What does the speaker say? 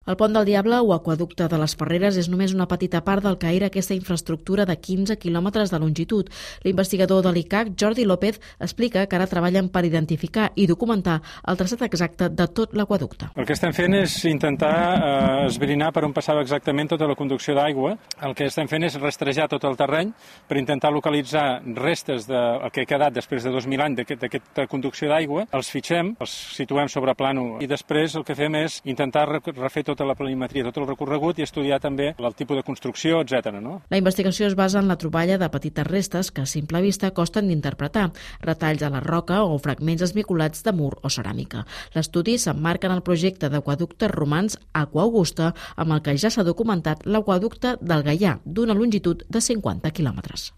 El Pont del Diable o Aqüeducte de les Ferreres és només una petita part del que era aquesta infraestructura de 15 quilòmetres de longitud. L'investigador de l'ICAC, Jordi López, explica que ara treballen per identificar i documentar el traçat exacte de tot l'aqüeducte. El que estem fent és intentar esbrinar per on passava exactament tota la conducció d'aigua. El que estem fent és rastrejar tot el terreny per intentar localitzar restes del que ha quedat després de 2.000 anys d'aquesta conducció d'aigua. Els fitxem, els situem sobre plànol i després el que fem és intentar refer tota la planimetria, tot el recorregut i estudiar també el tipus de construcció, etc. No? La investigació es basa en la troballa de petites restes que a simple vista costen d'interpretar, retalls a la roca o fragments esmicolats de mur o ceràmica. L'estudi s'emmarca en el projecte d'aqueductes romans Aqua Augusta, amb el que ja s'ha documentat l'aqüeducte del Gaià, d'una longitud de 50 quilòmetres.